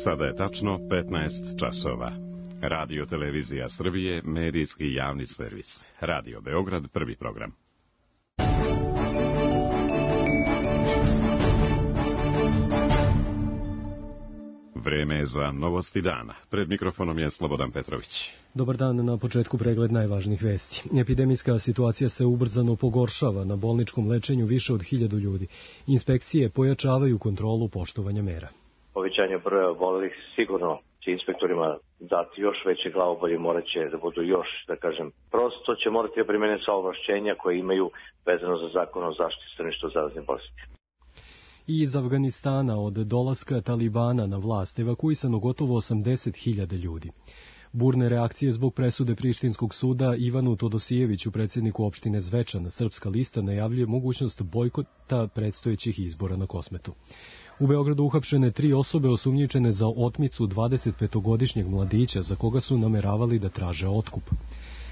Sada je tačno 15 časova. Radio Televizija Srbije, medijski javni servis. Radio Beograd, prvi program. Vreme je za novosti dana. Pred mikrofonom je Slobodan Petrović. Dobar dan, na početku pregled najvažnijih vesti. Epidemijska situacija se ubrzano pogoršava, na bolničkom lečenju više od 1000 ljudi. Inspekcije pojačavaju kontrolu poštovanja mera. Povećanje broja obolelih sigurno će inspektorima dati još veće glavobolje, morat će da budu još, prosto će morati da primene sva ovlašćenja koje imaju vezano za zakon o zaštiti stanovništva od zaraznih bolesti. Iz Afganistana od dolaska Talibana na vlast evakuisano gotovo 80.000 ljudi. Burne reakcije zbog presude Prištinskog suda Ivanu Todosijeviću, predsjedniku opštine Zvečan, Srpska lista najavljuje mogućnost bojkota predstojećih izbora na Kosmetu. U Beogradu uhapšene 3 osobe osumnjičene za otmicu 25-godišnjeg mladića za koga su nameravali da traže otkup.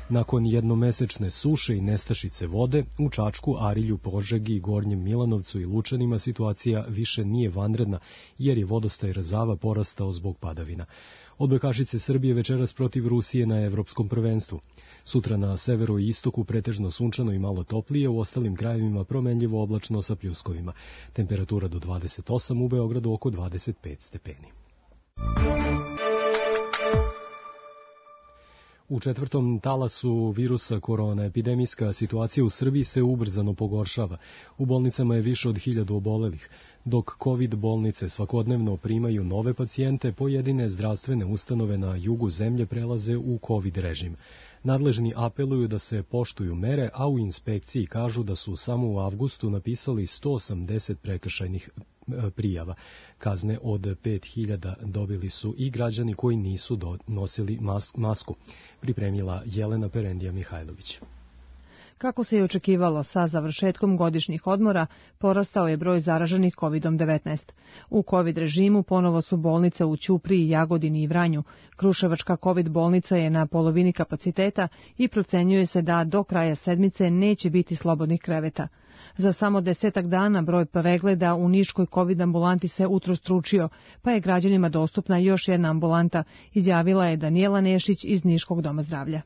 Nakon jednomesečne suše i nestašice vode, u Čačku, Arilju, Požegi, Gornjem Milanovcu i Lučanima situacija više nije vanredna, jer je vodostaj Rezava porastao zbog padavina. Odbojkašice Srbije večeras protiv Rusije na Evropskom prvenstvu. Sutra na severu i istoku pretežno sunčano i malo toplije, u ostalim krajevima promenljivo oblačno sa pljuskovima. Temperatura do 28, u Beogradu oko 25 stepeni. U 4. talasu virusa korona epidemijska situacija u Srbiji se ubrzano pogoršava. U bolnicama je više od 1000 obolelih. Dok COVID bolnice svakodnevno primaju nove pacijente, pojedine zdravstvene ustanove na jugu zemlje prelaze u COVID režim. Nadležni apeluju da se poštuju mere, a u inspekciji kažu da su samo u avgustu napisali 180 prekršajnih prijava. Kazne od 5.000 dobili su i građani koji nisu nosili masku, pripremila Jelena Perendija Mihajlović. Kako se je očekivalo, sa završetkom godišnjih odmora porastao je broj zaraženih COVID-19. U COVID režimu ponovo su bolnice u Ćupriji, Jagodini i Vranju. Kruševačka COVID bolnica je na polovini kapaciteta i procenjuje se da do kraja sedmice neće biti slobodnih kreveta. Za samo 10 dana broj pregleda u niškoj COVID ambulanti se utrostručio, pa je građanima dostupna još jedna ambulanta, izjavila je Danijela Nešić iz Niškog doma zdravlja.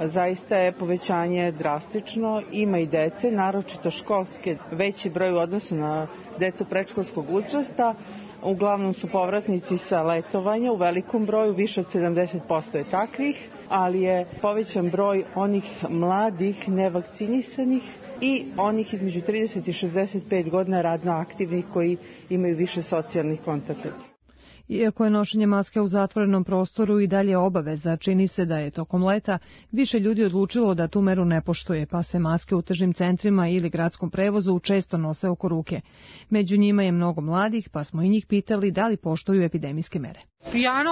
Zaista je povećanje drastično, ima i dece, naročito školske, veći broj u odnosu na decu predškolskog uzrasta. Uglavnom su povratnici sa letovanja u velikom broju, više od 70% je takvih, ali je povećan broj onih mladih, nevakcinisanih i onih između 30 i 65 godina radno aktivnih koji imaju više socijalnih kontakata. Iako je nošenje maske u zatvorenom prostoru i dalje obaveza, čini se da je tokom leta više ljudi odlučilo da tu meru ne poštuje, pa se maske u tržnim centrima ili gradskom prevozu često nose oko ruke. Među njima je mnogo mladih, pa smo i njih pitali da li poštuju epidemijske mere. Ja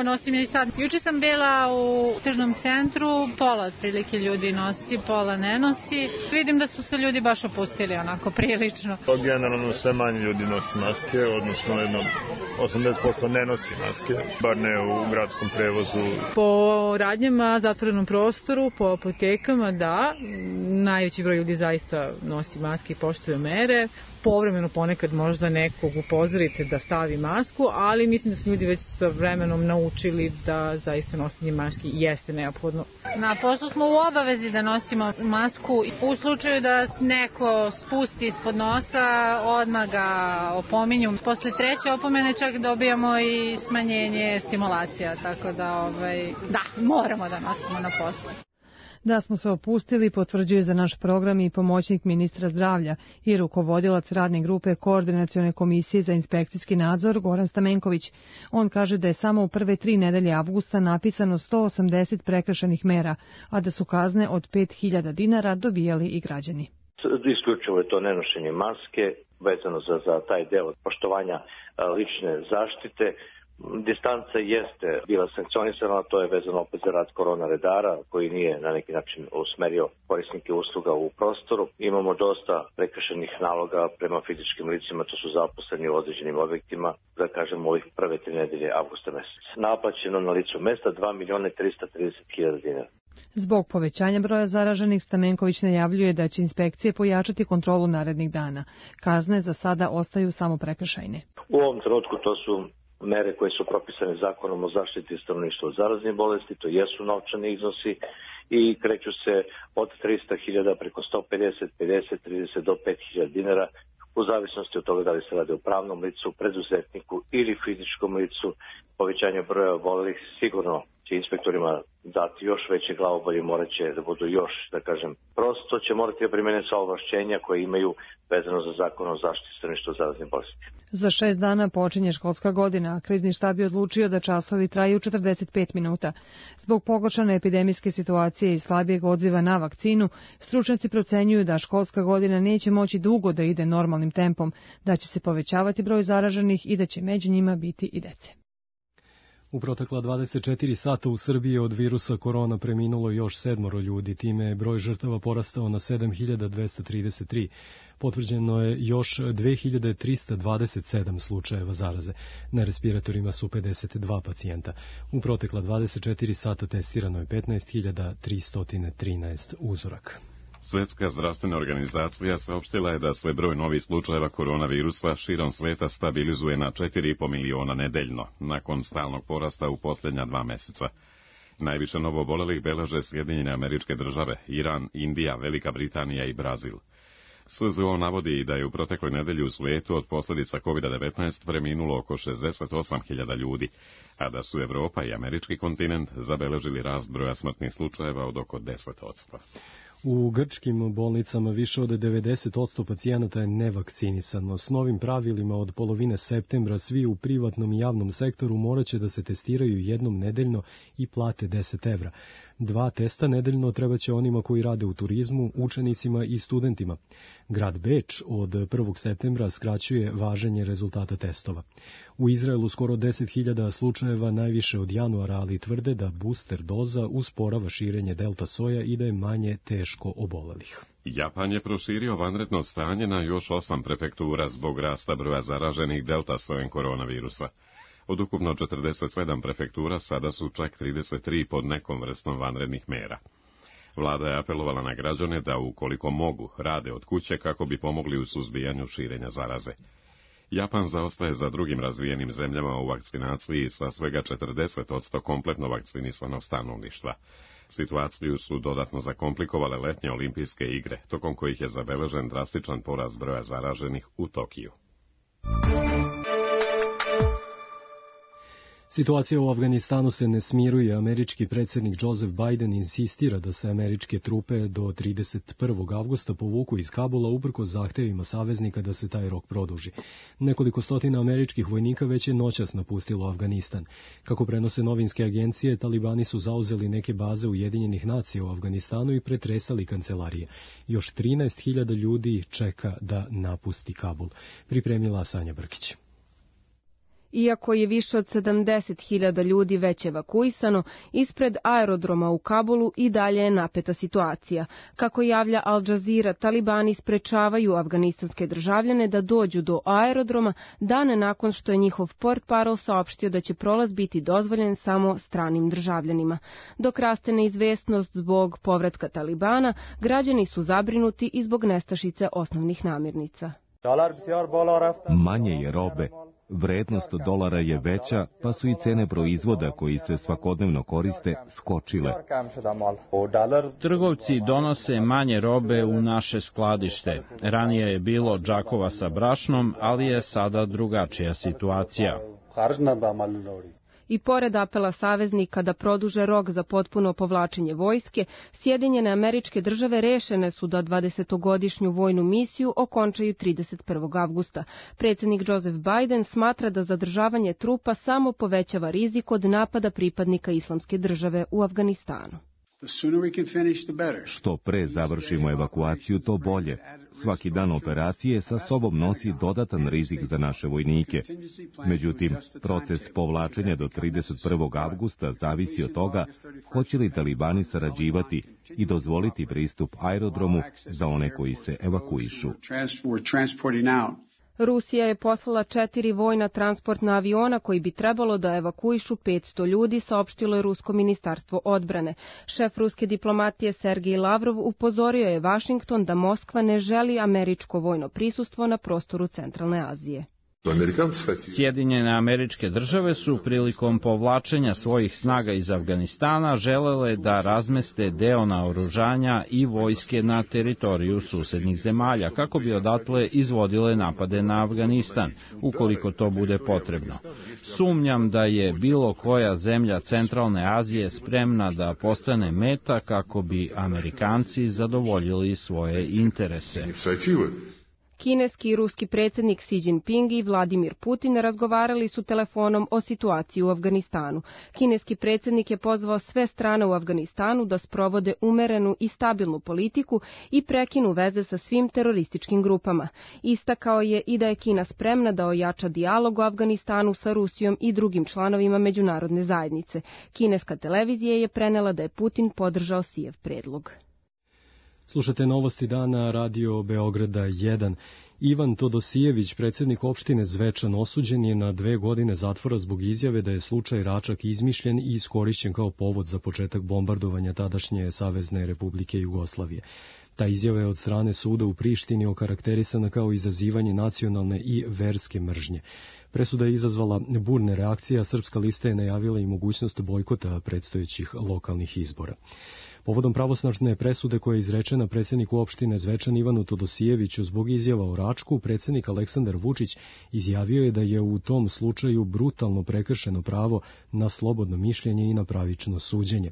nosim i sad. Juče sam bila u tržnom centru, pola otprilike ljudi nosi, pola ne nosi. Vidim da su se ljudi baš opustili onako prilično. Generalno sve manje ljudi nosi maske, odnosno 80% ne nosi maske, bar ne u gradskom prevozu. Po radnjama, zatvorenom prostoru, po apotekama, da, najveći broj ljudi zaista nosi maske i poštuje mere. Povremeno ponekad možda nekog upozorite da stavi masku, ali mislim da su ljudi već sa vremenom naučili da zaista nošenje maski jeste neophodno. Na poslu smo u obavezi da nosimo masku. U slučaju da neko spusti ispod nosa, odmah ga opominju. Posle 3. opomene čak dobijamo i smanjenje stimulacija, tako da moramo da nosimo na poslu. Da smo se opustili, potvrđuje za naš program i pomoćnik ministra zdravlja i rukovodilac radne grupe Koordinacione komisije za inspekcijski nadzor Goran Stamenković. On kaže da je samo u prve 3 nedelje avgusta napisano 180 prekršajnih mera, a da su kazne od 5.000 dinara dobijali i građani. Isključivo je to nenošenje maske, vezano za taj deo poštovanja lične zaštite. Distanca jeste bila sankcionisana, to je vezano opet za rad korona redara koji nije na neki način usmerio korisnike usluga u prostoru. Imamo dosta prekršajnih naloga prema fizičkim licima, to su zaposleni u određenim objektima, da kažemo ovih prve 3 nedelje avgusta meseca. Naplaćeno na licu mesta 2.330.000 dinara. Zbog povećanja broja zaraženih, Stamenković najavljuje da će inspekcije pojačati kontrolu narednih dana. Kazne za sada ostaju samo prekršajne. U ovom trenutku to su mere koje su propisane zakonom o zaštiti stanovništva od zaraznih bolesti, to jesu novčani iznosi i kreću se od 300.000 preko 150, 50, 30 do 5.000 dinara u zavisnosti od toga da li se radi o pravnom licu, preduzetniku ili fizičkom licu. Povećanje broja obolelih sigurno će inspektorima dati još veće glavobolje, morat će da budu još, da kažem, prosto će morati da primene sva ovlašćenja koje imaju vezano za zakon o zaštiti stanovništva od zaraznih bolesti. Za 6 dana počinje školska godina, a krizni štab je odlučio da časovi traju 45 minuta. Zbog pogoršane epidemijske situacije i slabijeg odziva na vakcinu, stručnjaci procenjuju da školska godina neće moći dugo da ide normalnim tempom, da će se povećavati broj zaraženih i da će među njima biti i dece. U protekla 24 sata u Srbiji od virusa korona preminulo još 7 ljudi, time je broj žrtava porastao na 7.233. Potvrđeno je još 2.327 slučajeva zaraze. Na respiratorima su 52 pacijenta. U protekla 24 sata testirano je 15.313 uzoraka. Svjetska zdravstvena organizacija saopštila je da se broj novih slučajeva koronavirusa širom sveta stabilizuje na 4,5 miliona nedeljno, nakon stalnog porasta u posljednja 2 meseca. Najviše novoobolelih beleže Sjedinjene Američke Države, Iran, Indija, Velika Britanija i Brazil. SZO navodi da je u protekloj nedelji u svijetu od posljedica COVID-19 preminulo oko 68.000 ljudi, a da su Evropa i američki kontinent zabeležili rast broja smrtnih slučajeva od oko 10%. U grčkim bolnicama više od 90% pacijenata je nevakcinisano. S novim pravilima od polovine septembra svi u privatnom i javnom sektoru morat će da se testiraju jednom nedeljno i plate 10 evra. 2 testa nedeljno treba će onima koji rade u turizmu, učenicima i studentima. Grad Beč od 1. septembra skraćuje važenje rezultata testova. U Izraelu skoro 10.000 slučajeva najviše od januara, ali tvrde da booster doza usporava širenje delta soja i da je manje teško obolelih. Japan je proširio vanredno stanje na još 8 prefektura zbog rasta broja zaraženih delta sojem koronavirusa. Od ukupno 47 prefektura sada su čak 33 pod nekom vrstom vanrednih mera. Vlada je apelovala na građane da ukoliko mogu rade od kuće kako bi pomogli u suzbijanju širenja zaraze. Japan zaostaje za drugim razvijenim zemljama u vakcinaciji sa svega 40% kompletno vakcinisanog stanovništva. Situaciju su dodatno zakomplikovale letnje olimpijske igre, tokom kojih je zabeležen drastičan porast broja zaraženih u Tokiju. Situacija u Afganistanu se ne smiruje. Američki predsjednik Joseph Biden insistira da se američke trupe do 31. avgusta povuku iz Kabula uprkos zahtevima saveznika da se taj rok produži. Nekoliko stotina američkih vojnika već je noćas napustilo Afganistan. Kako prenose novinske agencije, talibani su zauzeli neke baze Ujedinjenih nacija u Afganistanu i pretresali kancelarije. Još 13.000 ljudi čeka da napusti Kabul. Pripremila Sanja Brkić. Iako je više od 70.000 ljudi već evakuisano, ispred aerodroma u Kabulu i dalje je napeta situacija. Kako javlja Al Jazeera, talibani sprečavaju afganistanske državljane da dođu do aerodroma dane nakon što je njihov portparol saopštio da će prolaz biti dozvoljen samo stranim državljanima. Dok raste neizvesnost zbog povratka talibana, građani su zabrinuti i zbog nestašice osnovnih namirnica. Manje je robe. Vrednost dolara je veća, pa su i cene proizvoda koji se svakodnevno koriste skočile. Trgovci donose manje robe u naše skladište. Ranije je bilo džakova sa brašnom, ali je sada drugačija situacija. I pored apela saveznika da produže rok za potpuno povlačenje vojske, Sjedinjene Američke Države rešene su da 20-godišnju vojnu misiju okončaju 31. avgusta. Predsjednik Joseph Biden smatra da zadržavanje trupa samo povećava rizik od napada pripadnika Islamske države u Afganistanu. Što pre završimo evakuaciju, to bolje. Svaki dan operacije sa sobom nosi dodatan rizik za naše vojnike. Međutim, proces povlačenja do 31. avgusta zavisi od toga hoće li talibani sarađivati i dozvoliti pristup aerodromu za one koji se evakuišu. Rusija je poslala 4 vojna transportna aviona koji bi trebalo da evakuišu 500 ljudi, saopštilo je Rusko ministarstvo odbrane. Šef ruske diplomatije Sergej Lavrov upozorio je Vašington da Moskva ne želi američko vojno prisustvo na prostoru Centralne Azije. Sjedinjene Američke Države su prilikom povlačenja svojih snaga iz Afganistana želele da razmeste deo naoružanja i vojske na teritoriju susednih zemalja, kako bi odatle izvodile napade na Afganistan, ukoliko to bude potrebno. Sumnjam da je bilo koja zemlja Centralne Azije spremna da postane meta kako bi Amerikanci zadovoljili svoje interese. Kineski i ruski predsjednik Xi Jinping i Vladimir Putin razgovarali su telefonom o situaciji u Afganistanu. Kineski predsjednik je pozvao sve strane u Afganistanu da sprovode umerenu i stabilnu politiku i prekinu veze sa svim terorističkim grupama. Istakao je i da je Kina spremna da ojača dijalog u Afganistanu sa Rusijom i drugim članovima međunarodne zajednice. Kineska televizija je prenela da je Putin podržao Xijev predlog. Slušate novosti dana Radio Beograda 1. Ivan Todosijević, predsjednik opštine Zvečan, osuđen je na 2 godine zatvora zbog izjave da je slučaj Račak izmišljen i iskorišćen kao povod za početak bombardovanja tadašnje Savezne Republike Jugoslavije. Ta izjava je od strane suda u Prištini okarakterisana kao izazivanje nacionalne i verske mržnje. Presuda je izazvala burne reakcije, a Srpska lista je najavila i mogućnost bojkota predstojećih lokalnih izbora. Povodom pravosnažne presude koja je izrečena predsjedniku opštine Zvečan Ivanu Todosijeviću zbog izjava o Račku, predsjednik Aleksandar Vučić izjavio je da je u tom slučaju brutalno prekršeno pravo na slobodno mišljenje i na pravično suđenje.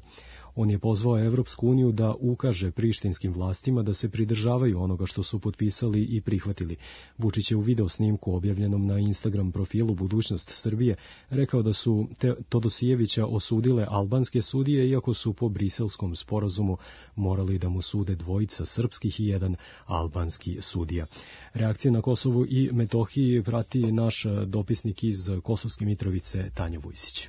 On je pozvao Evropsku uniju da ukaže prištinskim vlastima da se pridržavaju onoga što su potpisali i prihvatili. Vučić je u videosnimku objavljenom na Instagram profilu Budućnost Srbije rekao da su Todosijevića osudile albanske sudije, iako su po briselskom sporazumu morali da mu sude 2 srpskih i 1 albanski sudija. Reakcije na Kosovu i Metohiji prati naš dopisnik iz Kosovske Mitrovice Tanja Vujsić.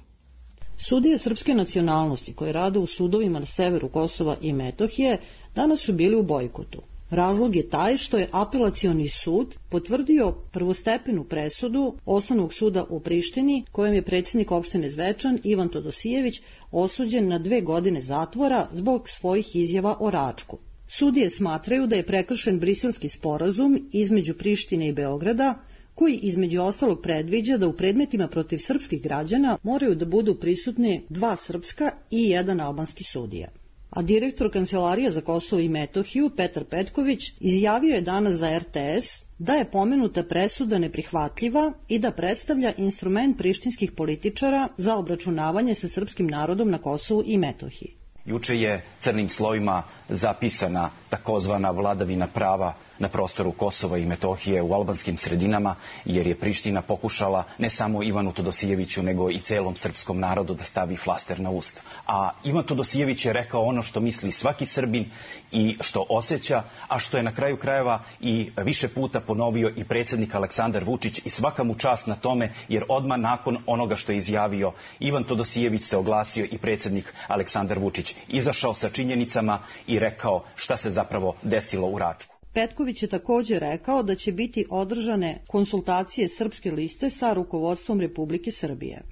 Sudije srpske nacionalnosti koje rade u sudovima na severu Kosova i Metohije danas su bili u bojkotu. Razlog je taj što je apelacioni sud potvrdio prvostepenu presudu Osnovnog suda u Prištini, kojem je predsjednik opštine Zvečan Ivan Todosijević osuđen na 2 godine zatvora zbog svojih izjava o Račku. Sudije smatraju da je prekršen briselski sporazum između Prištine i Beograda, koji između ostalog predviđa da u predmetima protiv srpskih građana moraju da budu prisutni 2 srpska i 1 albanski sudija. A direktor Kancelarije za Kosovo i Metohiju, Petar Petković, izjavio je danas za RTS da je pomenuta presuda neprihvatljiva i da predstavlja instrument prištinskih političara za obračunavanje sa srpskim narodom na Kosovu i Metohiji. Juče je crnim slovima zapisana takozvana vladavina prava na prostoru Kosova i Metohije u albanskim sredinama, jer je Priština pokušala ne samo Ivanu Todosijeviću, nego i celom srpskom narodu da stavi flaster na usta. A Ivan Todosijević je rekao ono što misli svaki Srbin i što osjeća, a što je na kraju krajeva i više puta ponovio i predsjednik Aleksandar Vučić, i svaka mu čast na tome, jer odmah nakon onoga što je izjavio Ivan Todosijević se oglasio i predsjednik Aleksandar Vučić, izašao sa činjenicama i rekao šta se zapravo desilo u Račku. Petković je također rekao da će biti održane konsultacije Srpske liste sa rukovodstvom Republike Srbije.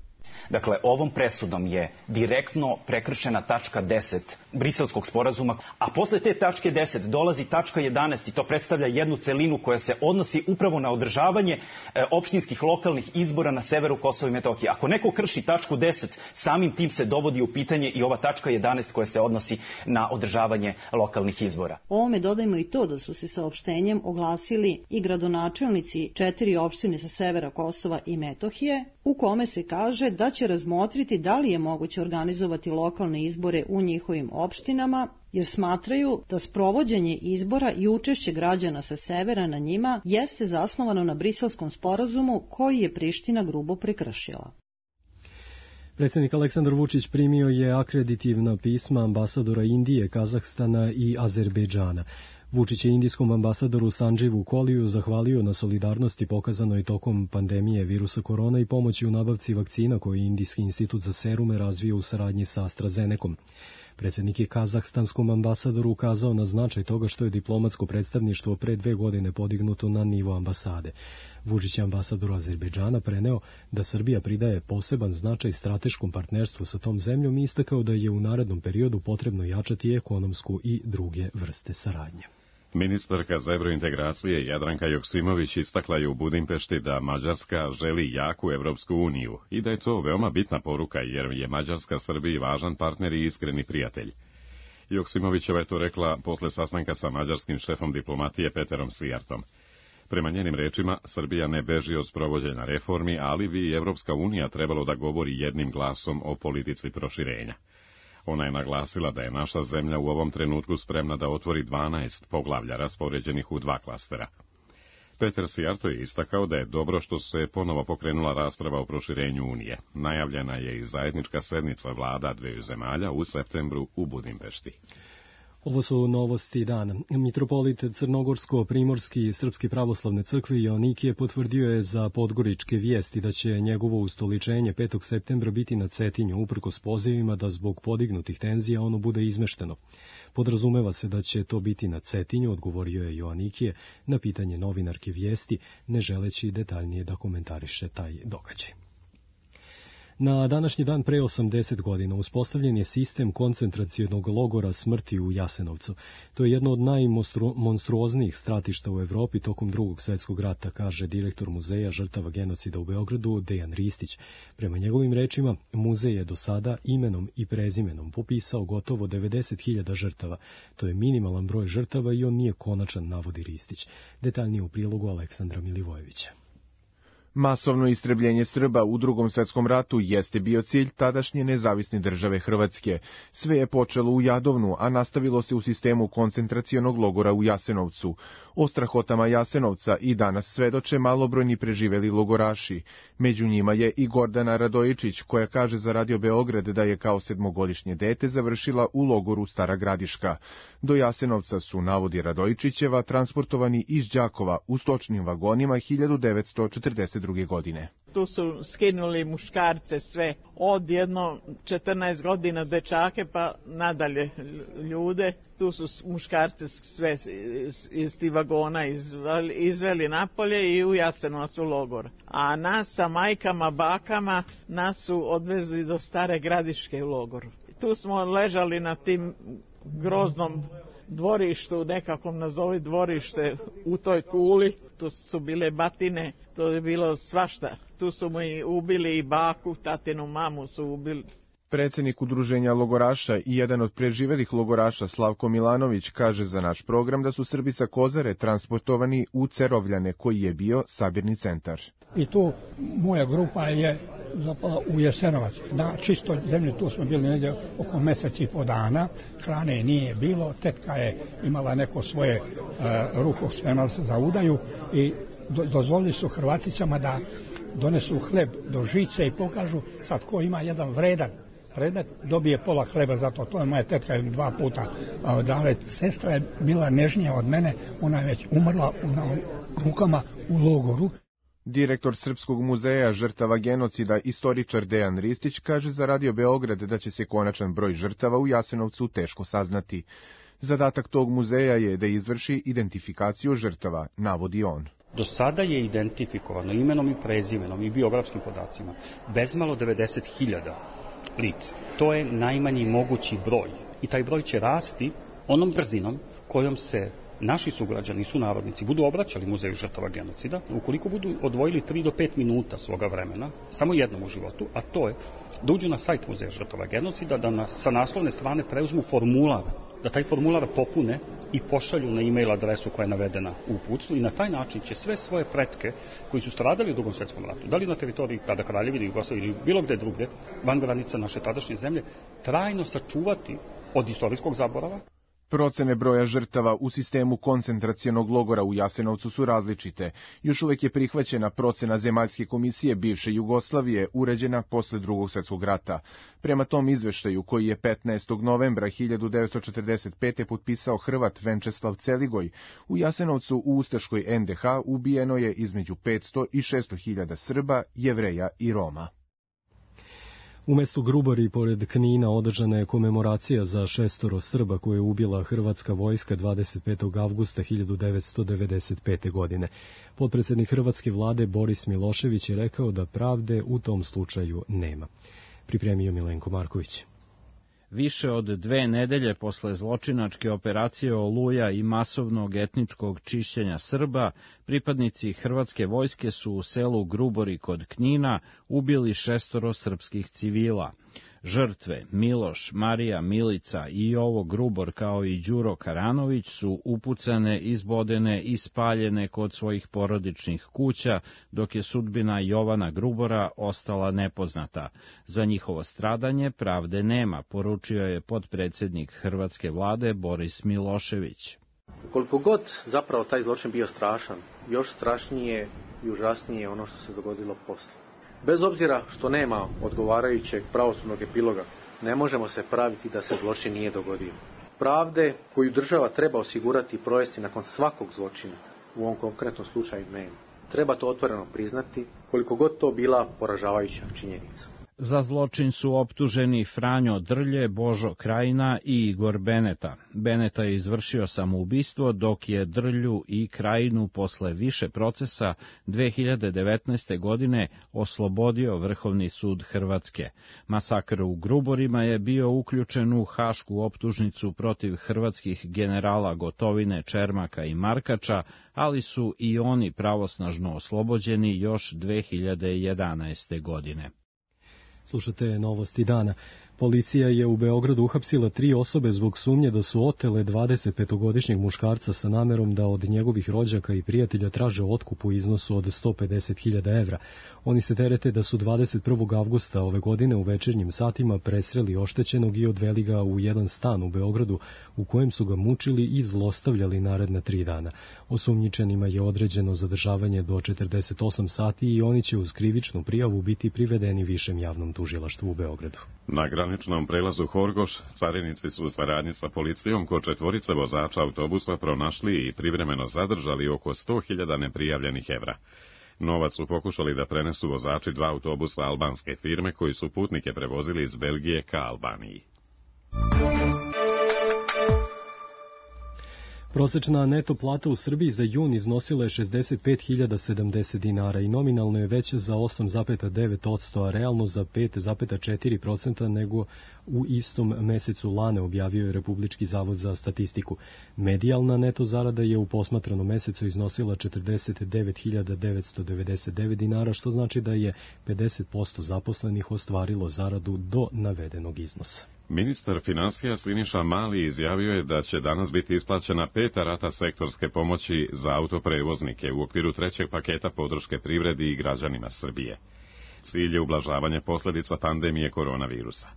Dakle, ovom presudom je direktno prekršena tačka 10 Briselskog sporazuma, a posle te tačke 10 dolazi tačka 11 i to predstavlja jednu celinu koja se odnosi upravo na održavanje opštinskih lokalnih izbora na severu Kosova i Metohije. Ako neko krši tačku 10, samim tim se dovodi u pitanje i ova tačka 11 koja se odnosi na održavanje lokalnih izbora. Ovome dodajmo i to da su se saopštenjem oglasili i gradonačelnici 4 opštine sa severa Kosova i Metohije, u kome se kaže da će razmotriti da li je moguće organizovati lokalne izbore u njihovim opštinama, jer smatraju da sprovođenje izbora i učešće građana sa severa na njima jeste zasnovano na Briselskom sporazumu koji je Priština grubo prekršila. Predsjednik Aleksandar Vučić primio je akreditivna pisma ambasadora Indije, Kazahstana i Azerbejdžana. Vučić je indijskom ambasadoru Sanđivu Koliju zahvalio na solidarnosti pokazanoj tokom pandemije virusa korona i pomoći u nabavci vakcina koje je Indijski institut za serume razvio u saradnji sa AstraZenecom. Predsjednik je kazahstanskom ambasadoru ukazao na značaj toga što je diplomatsko predstavništvo pre 2 godine podignuto na nivo ambasade. Vučić je ambasadoru Azerbejdžana preneo da Srbija pridaje poseban značaj strateškom partnerstvu sa tom zemljom i istakao da je u narednom periodu potrebno jačati ekonomsku i druge vrste saradnje. Ministarka za evrointegracije Jadranka Joksimović istakla je u Budimpešti da Mađarska želi jaku Evropsku uniju i da je to veoma bitna poruka jer je Mađarska Srbiji važan partner i iskreni prijatelj. Joksimovićeva je to rekla posle sastanka sa mađarskim šefom diplomatije Peterom Svijartom. Prema njenim rečima, Srbija ne beži od sprovođenja reformi, ali bi i Evropska unija trebalo da govori jednim glasom o politici proširenja. Ona je naglasila da je naša zemlja u ovom trenutku spremna da otvori 12 poglavlja raspoređenih u 2 klastera. Peter Svijarto je istakao da je dobro što se ponovo pokrenula rasprava o proširenju Unije. Najavljena je i zajednička sednica vlada dveju zemalja u septembru u Budimpešti. Ovo su novosti dana. Mitropolit Crnogorsko-Primorski Srpske pravoslavne crkve Joannikije potvrdio je za podgoričke vijesti da će njegovo ustoličenje 5. septembra biti na Cetinju, uprkos pozivima da zbog podignutih tenzija ono bude izmešteno. Podrazumeva se da će to biti na Cetinju, odgovorio je Joannikije na pitanje novinarke vijesti, ne želeći detaljnije da komentariše taj događaj. Na današnji dan pre 80 godina uspostavljen je sistem koncentracionog logora smrti u Jasenovcu. To je jedno od najmonstruoznijih stratišta u Evropi tokom Drugog svjetskog rata, kaže direktor Muzeja žrtava genocida u Beogradu Dejan Ristić. Prema njegovim rečima, muzej je do sada imenom i prezimenom popisao gotovo 90.000 žrtava. To je minimalan broj žrtava i on nije konačan, navodi Ristić. Detaljnije u prilogu Aleksandra Milivojevića. Masovno istrebljenje Srba u Drugom svjetskom ratu jeste bio cilj tadašnje nezavisne države Hrvatske. Sve je počelo u Jadovnu, a nastavilo se u sistemu koncentracionog logora u Jasenovcu. O strahotama Jasenovca i danas svedoče malobrojni preživeli logoraši. Među njima je i Gordana Radojičić, koja kaže za Radio Beograd da je kao 7-godišnje dete završila u logoru Stara Gradiška. Do Jasenovca su, navodi Radojičićeva, transportovani iz Đakova u stočnim vagonima 1942. godine. Tu su skinuli muškarce sve, od 14 godina dečake pa nadalje ljude. Tu su muškarce sve iz tih vagona izveli napolje i u Jasenovac u logor. A nas sa majkama, bakama, nas su odvezli do Stare Gradiške u logoru. Tu smo ležali na tim groznom dvorištu, nekakvom nazovi dvorište u toj kuli. Tu su bile batine, to je bilo svašta. Tu su mu i ubili i baku, tatinu mamu su ubili. Predsjednik udruženja logoraša i jedan od preživelih logoraša Slavko Milanović kaže za naš program da su Srbi sa Kozare transportovani u Cerovljane, koji je bio sabirni centar. I tu moja grupa je zapala u Jasenovac. Na čistoj zemlji tu smo bili negdje oko mjesec i po dana. Hrane nije bilo, tetka je imala neko svoje ruho spremala za udaju i dozvolili su Hrvaticama da donesu hleb do žice i pokažu sad ko ima jedan vredan predmet, dobije pola hleba za to. To je moja tetka 2 puta dala. Sestra je bila nežnija od mene, ona je već umrla na rukama u logoru. Direktor Srpskog muzeja žrtava genocida, istoričar Dejan Ristić, kaže za Radio Beograd da će se konačan broj žrtava u Jasenovcu teško saznati. Zadatak tog muzeja je da izvrši identifikaciju žrtava, navodi on. Do sada je identifikovano imenom i prezimenom i biografskim podacima bezmalo 90.000 lica. To je najmanji mogući broj i taj broj će rasti onom brzinom kojom se naši sugrađani i sunarodnici budu obraćali Muzeju žrtava genocida, ukoliko budu odvojili 3 do 5 minuta svoga vremena, samo jednom u životu, a to je da uđu na sajt Muzeja žrtava genocida, da sa naslovne strane preuzmu formular, da taj formular popune i pošalju na e-mail adresu koja je navedena u uputstvu i na taj način će sve svoje pretke koji su stradali u Drugom svjetskom ratu, da li na teritoriji tada Kraljevine Jugoslavije ili bilo gde drugde, van granica naše tadašnje zemlje, trajno sačuvati od istorijskog zaborava. Procene broja žrtava u sistemu koncentracionog logora u Jasenovcu su različite. Još uvek je prihvaćena procena Zemaljske komisije bivše Jugoslavije, uređena posle Drugog svjetskog rata. Prema tom izveštaju, koji je 15. novembra 1945. potpisao Hrvat Venčeslav Celigoj, u Jasenovcu u ustaškoj NDH ubijeno je između 500 i 600.000 Srba, Jevreja i Roma. U mestu Grubari, pored Knina, održana je komemoracija za 6 Srba koje je ubila hrvatska vojska 25. avgusta 1995. godine. Potpredsjednik hrvatske vlade Boris Milošević je rekao da pravde u tom slučaju nema. Pripremio Milenko Marković. Više od 2 nedelje posle zločinačke operacije Oluja i masovnog etničkog čišćenja Srba, pripadnici hrvatske vojske su u selu Grubori kod Knina ubili 6 srpskih civila. Žrtve Miloš, Marija, Milica i Jovo Grubor kao i Đuro Karanović su upucane, izbodene i spaljene kod svojih porodičnih kuća, dok je sudbina Jovana Grubora ostala nepoznata. Za njihovo stradanje pravde nema, poručio je potpredsednik hrvatske vlade Boris Milošević. Koliko god zapravo taj zločin bio strašan, još strašnije i užasnije ono što se dogodilo posle. Bez obzira što nema odgovarajućeg pravosudnog epiloga, ne možemo se praviti da se zločin nije dogodio. Pravde koju država treba osigurati i provesti nakon svakog zločina, u ovom konkretnom slučaju nema. Treba to otvoreno priznati, koliko god to bila poražavajuća činjenica. Za zločin su optuženi Franjo Drlje, Božo Krajina i Igor Beneta. Beneta je izvršio samoubistvo, dok je Drlju i Krajinu posle više procesa 2019. godine oslobodio Vrhovni sud Hrvatske. Masakr u Gruborima je bio uključen u hašku optužnicu protiv hrvatskih generala Gotovine, Čermaka i Markača, ali su i oni pravosnažno oslobođeni još 2011. godine. Slušate novosti dana. Policija je u Beogradu uhapsila 3 osobe zbog sumnje da su otele 25-godišnjeg muškarca sa namerom da od njegovih rođaka i prijatelja traže otkup u iznosu od 150.000 evra. Oni se terete da su 21. avgusta ove godine u večernjim satima presreli oštećenog i odveli ga u jedan stan u Beogradu u kojem su ga mučili i zlostavljali naredna 3 dana. Osumnjičenima je određeno zadržavanje do 48 sati i oni će uz krivičnu prijavu biti privedeni Višem javnom tužilaštvu u Beogradu. Na graničnom prelazu Horgoš carinici su u saradnji sa policijom kod 4 vozača autobusa pronašli i privremeno zadržali oko 100.000 neprijavljenih evra. Novac su pokušali da prenesu vozači 2 autobusa albanske firme koji su putnike prevozili iz Belgije ka Albaniji. Prosečna neto plata u Srbiji za jun iznosila je 65.070 dinara i nominalno je veća za 8,9%, a realno za 5,4% nego u istom mesecu lane, objavio je Republički zavod za statistiku. Medijalna neto zarada je u posmatranom mesecu iznosila 49.999 dinara, što znači da je 50% zaposlenih ostvarilo zaradu do navedenog iznosa. Ministar finansija Siniša Mali izjavio je da će danas biti isplaćena 5. rata sektorske pomoći za autoprevoznike u okviru 3. paketa podrške privredi i građanima Srbije. Cilj je ublažavanje posljedica pandemije koronavirusa.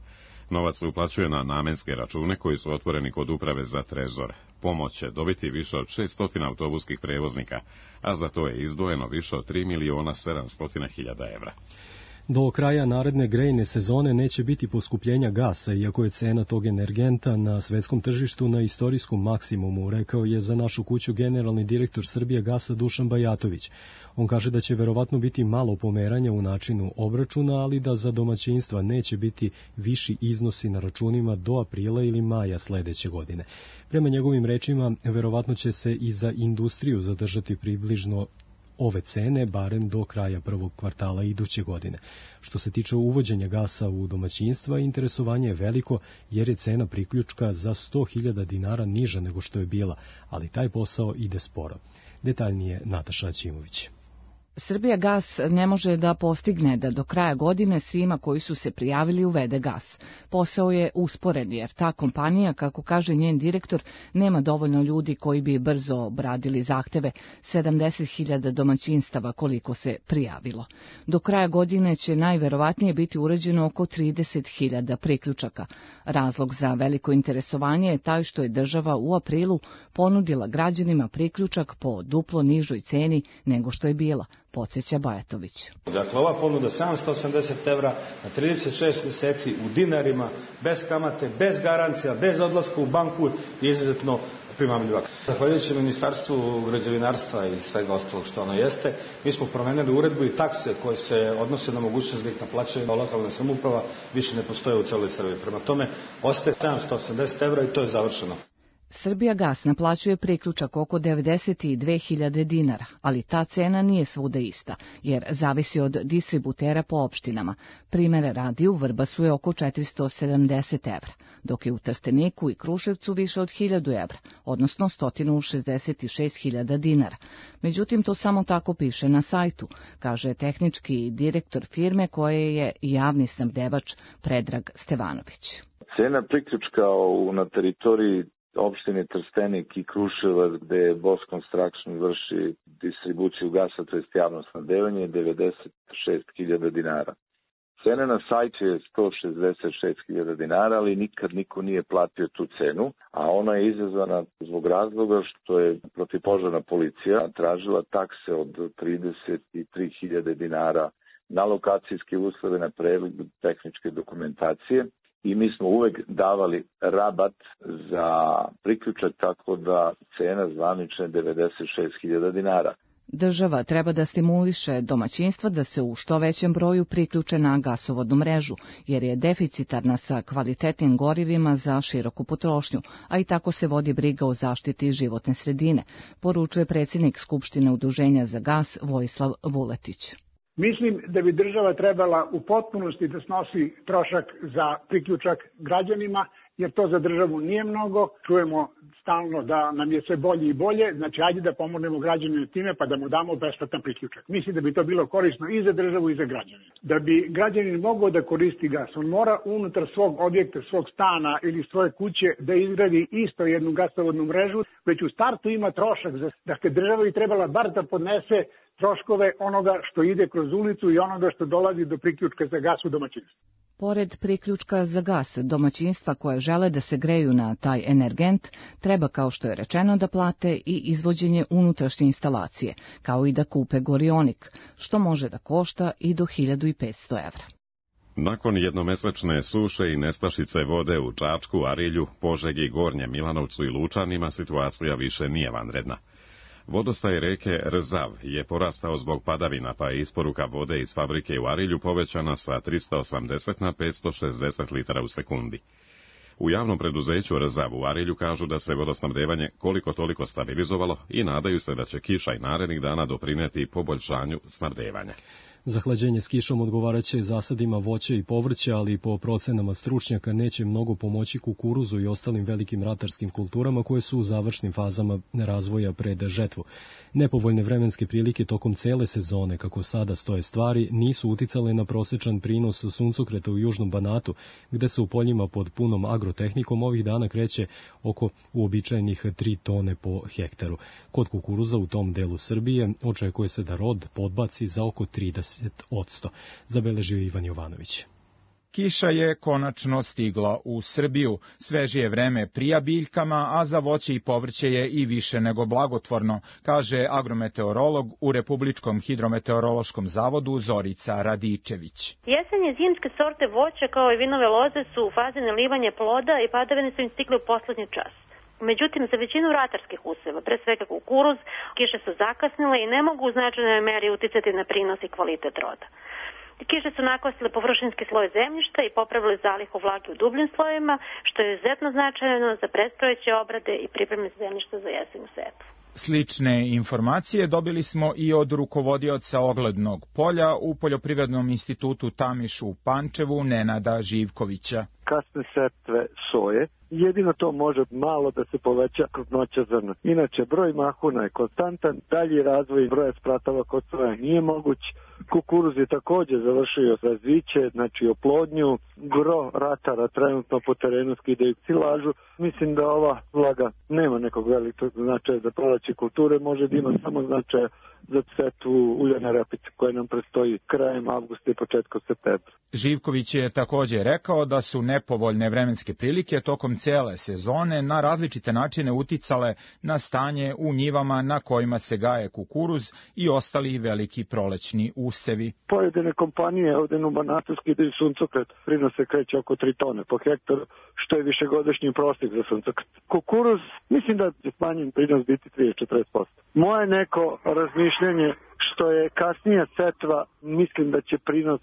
Novac se uplaćuje na namenske račune koji su otvoreni kod Uprave za trezor. Pomoć će dobiti više od 600 autobuskih prevoznika, a za to je izdvojeno više od 3.700.000 evra. Do kraja naredne grejne sezone neće biti poskupljenja gasa, iako je cena tog energenta na svetskom tržištu na istorijskom maksimumu, rekao je za našu kuću generalni direktor Srbija gasa Dušan Bajatović. On kaže da će verovatno biti malo pomeranja u načinu obračuna, ali da za domaćinstva neće biti viši iznosi na računima do aprila ili maja sledeće godine. Prema njegovim rečima, verovatno će se i za industriju zadržati približno ove cene, barem do kraja prvog kvartala iduće godine. Što se tiče uvođenja gasa u domaćinstva, interesovanje je veliko jer je cena priključka za 100.000 dinara niža nego što je bila, ali taj posao ide sporo. Detaljnije Nataša Ćimović. Srbijagas ne može da postigne da do kraja godine svima koji su se prijavili uvede gas. Posao je usporen jer ta kompanija, kako kaže njen direktor, nema dovoljno ljudi koji bi brzo obradili zahteve 70.000 domaćinstava koliko se prijavilo. Do kraja godine će najverovatnije biti urađeno oko 30.000 priključaka. Razlog za veliko interesovanje je taj što je država u aprilu ponudila građanima priključak po duplo nižoj ceni nego što je bila, podsjeća Bajatović. Dakle, ova ponuda 780 evra na 36 meseci u dinarima, bez kamate, bez garancija, bez odlaska u banku je izuzetno primamljiva. Zahvaljujući Ministarstvu građevinarstva i svega ostalog što ono jeste, mi smo promenili uredbu i takse koje se odnose na mogućnost da ih naplaćaju lokalna samouprava više ne postoje u celoj Srbiji. Prema tome, ostaje 780 evra i to je završeno. Srbijagas naplaćuje priključak oko 92.000 dinara, ali ta cena nije svuda ista, jer zavisi od distributera po opštinama. Primere radi, u Vrbasu je oko 470 evra, dok je u Trsteniku i Kruševcu više od 1000 evra, odnosno 166.000 dinara. Međutim, to samo tako piše na sajtu, kaže tehnički direktor firme koje je javni snabdevač Predrag Stevanović. Cena priključka na teritoriji opštine Trstenik i Kruševac, gde Bosch Construction vrši distribuciju gasa, to jest javno snabdevanje, je 96.000 dinara. Cena na sajtu je 166.000 dinara, ali nikad niko nije platio tu cenu, a ona je izazvana zbog razloga što je protivpožarna policija tražila takse od 33.000 dinara na lokacijske uslove, na pregled tehničke dokumentacije. I mi smo uvek davali rabat za priključak, tako da cena zvanična je 96.000 dinara. Država treba da stimuliše domaćinstva da se u što većem broju priključe na gasovodnu mrežu, jer je deficitarna sa kvalitetnim gorivima za široku potrošnju, a i tako se vodi briga o zaštiti životne sredine, poručuje predsjednik Skupštine Udruženja za gas Vojislav Vuletić. Mislim da bi država trebala u potpunosti da snosi trošak za priključak građanima, jer to za državu nije mnogo. Čujemo stalno da nam je sve bolje i bolje, znači ajde da pomognemo građanima time pa da mu damo besplatan priključak. Mislim da bi to bilo korisno i za državu i za građanina. Da bi građanin mogao da koristi gas, on mora unutar svog objekta, svog stana ili svoje kuće da izgradi isto jednu gasovodnu mrežu, već u startu ima trošak. Dakle, država bi trebala bar da podnese troškove onoga što ide kroz ulicu i onoga što dolazi do priključka za gas u domaćinstvu. Pored priključka za gas, domaćinstva koje žele da se greju na taj energent treba, kao što je rečeno, da plate i izvođenje unutrašnje instalacije, kao i da kupe gorionik, što može da košta i do 1.500 evra. Nakon jednomesečne suše i nestašice vode u Čačku, Arilju, Požegi, Gornjem Milanovcu i Lučanima situacija više nije vanredna. Vodostaj reke Rzav je porastao zbog padavina, pa je isporuka vode iz fabrike u Arilju povećana sa 380 na 560 litara u sekundi. U javnom preduzeću Rzav u Arilju kažu da se vodosnabdevanje koliko toliko stabilizovalo i nadaju se da će kiša i narednih dana doprineti poboljšanju snabdevanja. Zahlađenje s kišom odgovaraće zasadima voća i povrća, ali po procenama stručnjaka neće mnogo pomoći kukuruzu i ostalim velikim ratarskim kulturama koje su u završnim fazama razvoja pred žetvu. Nepovoljne vremenske prilike tokom cele sezone, kako sada stoje stvari, nisu uticale na prosečan prinos suncokreta u južnom Banatu, gde se u poljima pod punom agrotehnikom ovih dana kreće oko uobičajenih 3 tone po hektaru. Kod kukuruza u tom delu Srbije očekuje se da rod podbaci za oko 30%, zabeležio Ivan Jovanović. Kiša je konačno stigla u Srbiju. Svežije vreme prija biljkama, a za voće i povrće je i više nego blagotvorno, kaže agrometeorolog u Republičkom hidrometeorološkom zavodu Zorica Radičević. Jesenje zimske sorte voća kao i vinove loze su u fazi nalivanja ploda i padavine su im stigle u poslednji čas. Međutim, za većinu ratarskih useva, pre svega kukuruz, kiše su zakasnile i ne mogu u značajnoj meri uticati na prinos i kvalitet roda. Kiše su nakosile površinski sloj zemljišta i popravili zalihu vlage u dubljim slojevima, što je izuzetno značajno za predstojeće obrade i pripreme zemljišta za jesenju setvu. Slične informacije dobili smo i od rukovodioca oglednog polja u Poljoprivrednom institutu Tamiš u Pančevu, Nenada Živkovića. Kasne setve soje, jedino to može malo da se poveća krupnoća zrna. Inače, broj mahuna je konstantan, dalji razvoj broja spratava kod soja nije moguć. Kukuruz je također završio razviće, znači oplodnju. Gro ratara trenutno po terenu skidaju silažu. Mislim da ova vlaga nema nekog velikog značaja za proleće kulture, može da ima samo značaja za setvu uljane repice koje nam predstoji krajem avgusta i početkom septembra. Živković je također rekao da su nepovoljne vremenske prilike tokom cele sezone na različite načine uticale na stanje u njivama na kojima se gaje kukuruz i ostali veliki prolećni usevi. Pojedine kompanije ovdje u Banatu skidaju suncokret, prinos se kreće oko 3 tone po hektaru, što je višegodišnji prosjek za suncokret. Kukuruz, mislim da će smanjen prinos biti 30-40%. Moje neko razmišljanje što je kasnija setva, mislim da će prinos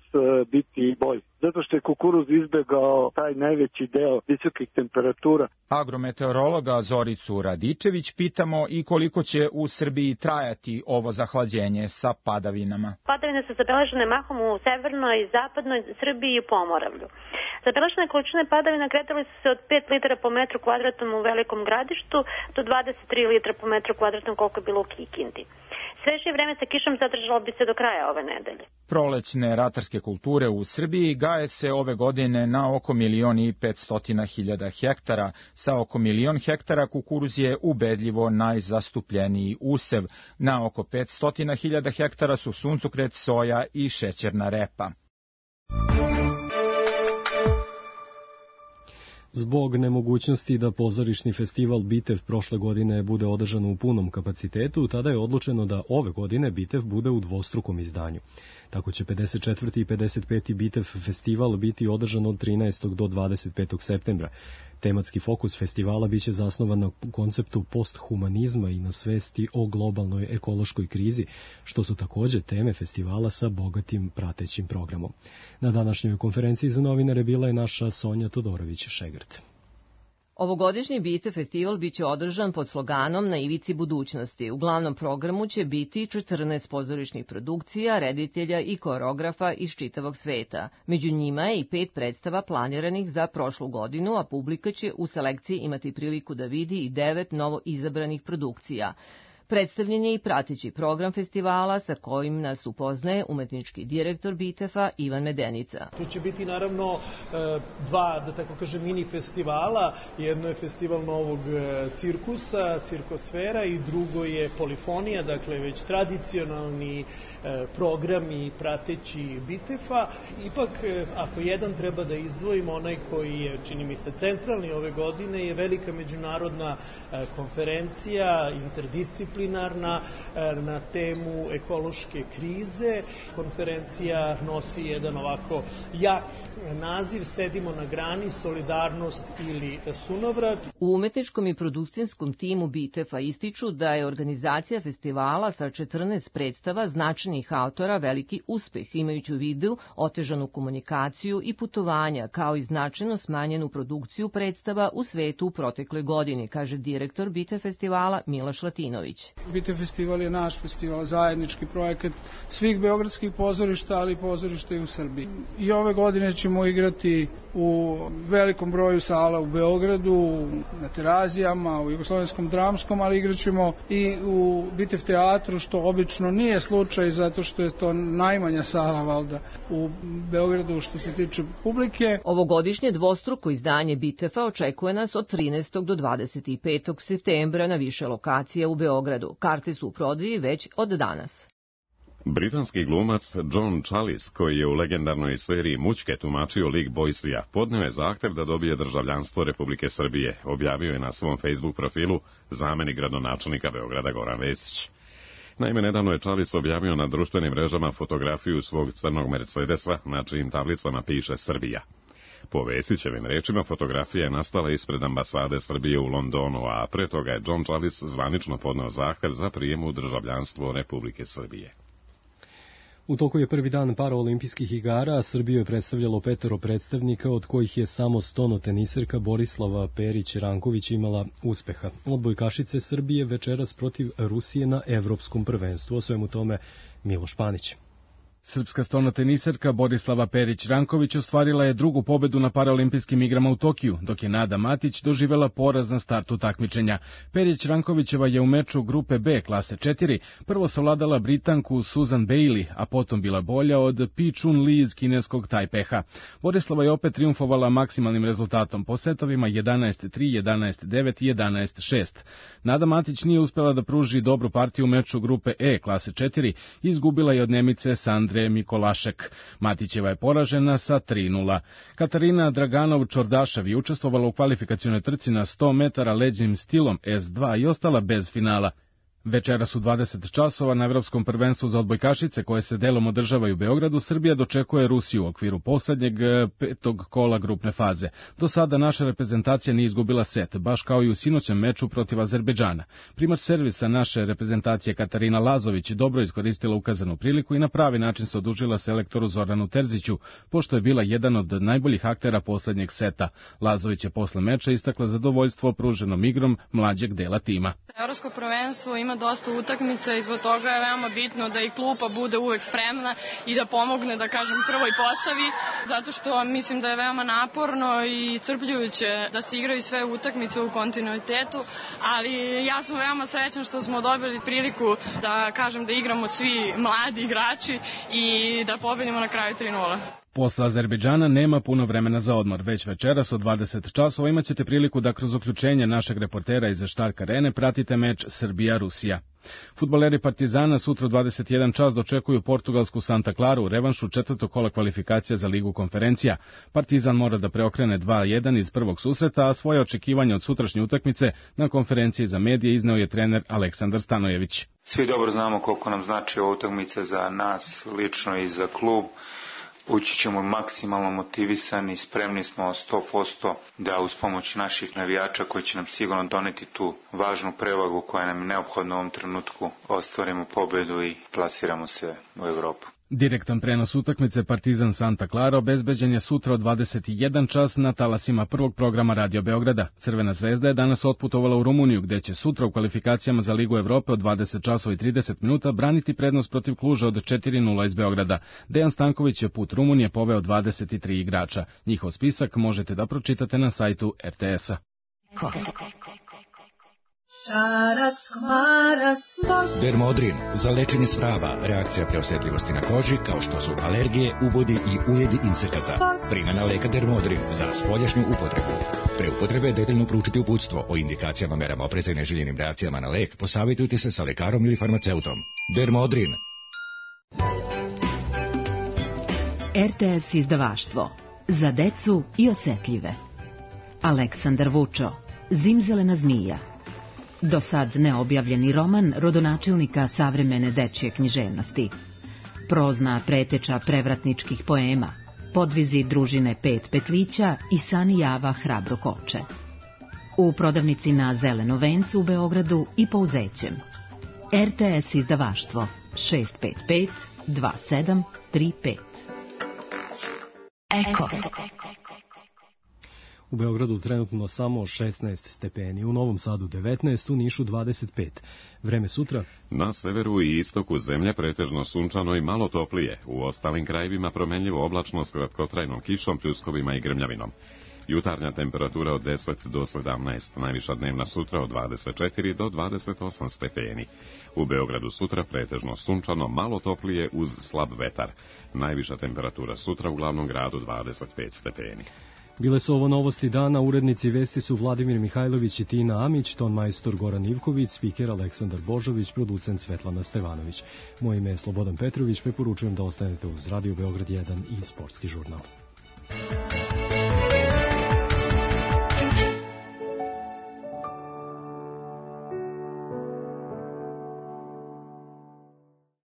biti bolji. Zato što je kukuruz izbegao taj najveći deo visokih temperatura. Agrometeorologa Zoricu Radičević pitamo i koliko će u Srbiji trajati ovo zahlađenje sa padavinama. Padavine su zabeležene mahom u severnoj i zapadnoj Srbiji i Pomoravlju. Zabeležene količine padavina kretale su se od 5 litara po metru kvadratnom u Velikom Gradištu do 23 litra po metru kvadratnom koliko je bilo u Kikindi. Svežije vreme sa kišom zadržalo bi se do kraja ove nedelje. Prolećne ratarske kulture u Srbiji gaje se ove godine na oko 1.500.000 hektara. Sa oko 1.000.000 hektara kukuruz je ubedljivo najzastupljeniji usev. Na oko 500.000 hektara su suncokret, soja i šećerna repa. Zbog nemogućnosti da pozorišni festival Bitev prošle godine bude održan u punom kapacitetu, tada je odlučeno da ove godine Bitev bude u dvostrukom izdanju. Tako će 54. i 55. Bitev festival biti održan od 13. do 25. septembra. Tematski fokus festivala biće zasnovan na konceptu posthumanizma i na svesti o globalnoj ekološkoj krizi, što su takođe teme festivala sa bogatim pratećim programom. Na današnjoj konferenciji za novinare bila je naša Sonja Todorović-Šegrt. Ovogodišnji Bitev festival biće održan pod sloganom Na ivici budućnosti. U glavnom programu će biti 14 pozorišnih produkcija, reditelja i koreografa iz čitavog sveta. Među njima je i 5 predstava planiranih za prošlu godinu, a publika će u selekciji imati priliku da vidi i 9 novo izabranih produkcija. Predstavljen je i prateći program festivala sa kojim nas upoznaje umetnički direktor Bitefa Ivan Medenica. Tu će biti naravno dva, da tako kažem, mini festivala. Jedno je festival novog cirkusa, cirkosfera, i drugo je polifonija, dakle već tradicionalni program i prateći Bitefa. Ipak, ako jedan treba da izdvojimo, onaj koji je, čini mi se, centralni ove godine, je velika međunarodna konferencija, interdisciplinarna, na temu ekološke krize. Konferencija nosi jedan ovako jak naziv Sedimo na grani, solidarnost ili sunovrat. U umetničkom i produkcijskom timu Bitefa ističu da je organizacija festivala sa 14 predstava značajnih autora veliki uspeh, imajući u vidu otežanu komunikaciju i putovanja, kao i značajno smanjenu produkciju predstava u svetu u protekloj godini, kaže direktor Bitev festivala Miloš Latinović. Bitev festival je naš festival, zajednički projekat svih beogradskih pozorišta, ali i pozorišta i u Srbiji. I ove godine ćemo igrati u velikom broju sala u Beogradu, na Terazijama, u Jugoslovenskom dramskom, ali igraćemo i u Bitev teatru, što obično nije slučaj, zato što je to najmanja sala, valjda, u Beogradu što se tiče publike. Ovogodišnje dvostruko izdanje Bitefa očekuje nas od 13. do 25. septembra na više lokacija u Beogradu. Karte su u prodaji već od danas. Britanski glumac John Challis, koji je u legendarnoj seriji Mućke tumačio lik Boysija, podneo je zahtev da dobije državljanstvo Republike Srbije, objavio je na svom Facebook profilu zamenik gradonačelnika Beograda Goran Vesić. Naime, nedavno je Challis objavio na društvenim mrežama fotografiju svog crnog Mercedesa, na čijim tablicama piše Srbija. Po Vesićevim rečima, fotografija je nastala ispred ambasade Srbije u Londonu, a pre toga je John Challis zvanično podneo zahtev za prijem u državljanstvo Republike Srbije. U toku je prvi dan paraolimpijskih igara, a Srbiju je predstavljalo 5 predstavnika, od kojih je samo stonoteniserka Borislava Perić-Ranković imala uspeha. Odbojkašice Srbije večeras protiv Rusije na Evropskom prvenstvu. O svemu tome Miloš Panić. Srpska stonoteniserka Borislava Perić-Ranković ostvarila je drugu pobedu na paraolimpijskim igrama u Tokiju, dok je Nada Matić doživela poraz na startu takmičenja. Perić-Rankovićeva je u meču grupe B klase 4 prvo savladala Britanku Susan Bailey, a potom bila bolja od Pi Chun Li iz kineskog Tajpeha. Borislava je opet triumfovala maksimalnim rezultatom po setovima 11-3, 11-9 i 11-6. Nada Matić nije uspela da pruži dobru partiju u meču grupe E klase 4 i izgubila je od Nemice Sandre Mikolašek. Matićeva je poražena sa 3:0. Katarina Draganov-Čordašev je učestvovala u kvalifikacionoj trci na 100 metara leđnim stilom S2 i ostala bez finala. Večeras u 20 časova na Evropskom prvenstvu za odbojkašice koje se delom održavaju u Beogradu, Srbija dočekuje Rusiju u okviru poslednjeg 5. kola grupne faze. Do sada naša reprezentacija nije izgubila set, baš kao i u sinoćem meču protiv Azerbejdžana. Primač servisa naše reprezentacije Katarina Lazović dobro iskoristila ukazanu priliku i na pravi način se odužila selektoru Zoranu Terziću, pošto je bila jedan od najboljih aktera poslednjeg seta. Lazović je posle meča istakla zadovoljstvo pruženom igrom mlađeg dela tima. Evropsko prvenstvo ima dosta utakmica i zbog toga je veoma bitno da i klupa bude uvek spremna i da pomogne, da kažem, prvoj postavi, zato što mislim da je veoma naporno i iscrpljujuće da se igraju sve utakmice u kontinuitetu, ali ja sam veoma srećan što smo dobili priliku da kažem da igramo svi mladi igrači i da pobedimo na kraju 3:0. Posle Azerbejdžana nema puno vremena za odmor. Već večeras od 20 časova imaćete priliku da kroz uključenje našeg reportera iz Štark Arene pratite meč Srbija-Rusija. Fudbaleri Partizana sutra u 21 čas dočekuju portugalsku Santa Claru u revanšu 4. kola kvalifikacija za Ligu konferencija. Partizan mora da preokrene 2:1 iz prvog susreta, a svoje očekivanje od sutrašnje utakmice na konferenciji za medije izneo je trener Aleksandar Stanojević. Svi dobro znamo koliko nam znači ova utakmica za nas lično i za klub. Ući ćemo maksimalno motivisani, spremni smo 100% da uz pomoć naših navijača koji će nam sigurno doneti tu važnu prevagu koja nam je neophodna u ovom trenutku, ostvarimo pobedu i plasiramo se u Evropu. Direktan prenos utakmice Partizan Santa Clara obezbeđen je sutra od 21 čas na talasima prvog programa Radio Beograda. Crvena zvezda je danas otputovala u Rumuniju, gde će sutra u kvalifikacijama za Ligu Evrope od 20 časova i 30 minuta braniti prednost protiv Kluža od 4:0 iz Beograda. Dejan Stanković je put Rumunije poveo 23 igrača. Njihov spisak možete da pročitate na sajtu RTS-a. Dermodrin za lečenje svrava, reakcija preosetljivosti na koži kao što su alergije, ubodi i ujedi insekata. Primjena leka Dermodrin za spoljašnju upotrebu. Pre upotrebe detaljno proučiti uputstvo o indikacijama, merama opreza i neželjenim reakcijama na lek. Posavitujte se sa lekarom ili farmaceutom. Dermodrin. RTS izdavaštvo za decu i osetljive. Aleksandar Vučo, Zimzelena zmija. Do sad neobjavljeni roman rodonačelnika savremene dečje književnosti. Prozna preteča prevratničkih poema, podvizi družine Pet petlića i Sani Java hrabro koče. U prodavnici na Zeleno vencu u Beogradu i po Uzećem. RTS izdavaštvo 655 2735. Eko. U Beogradu trenutno samo 16 stepeni, u Novom Sadu 19, u Nišu 25. Vreme sutra? Na severu i istoku zemlje pretežno sunčano i malo toplije, u ostalim krajevima promenljivo oblačno s kratkotrajnom kišom, pljuskovima i grmljavinom. Jutarnja temperatura od 10 do 17, najviša dnevna sutra od 24 do 28 stepeni. U Beogradu sutra pretežno sunčano, malo toplije uz slab vetar. Najviša temperatura sutra u glavnom gradu 25 stepeni. Bile su ovo novosti dana, urednici vesti su Vladimir Mihajlović i Tina Amić, ton majstor Goran Ivković, spiker Aleksandar Božović, producent Svetlana Stevanović. Moje ime je Slobodan Petrović, preporučujem da ostanete uz Radio Beograd 1 i Sportski žurnal.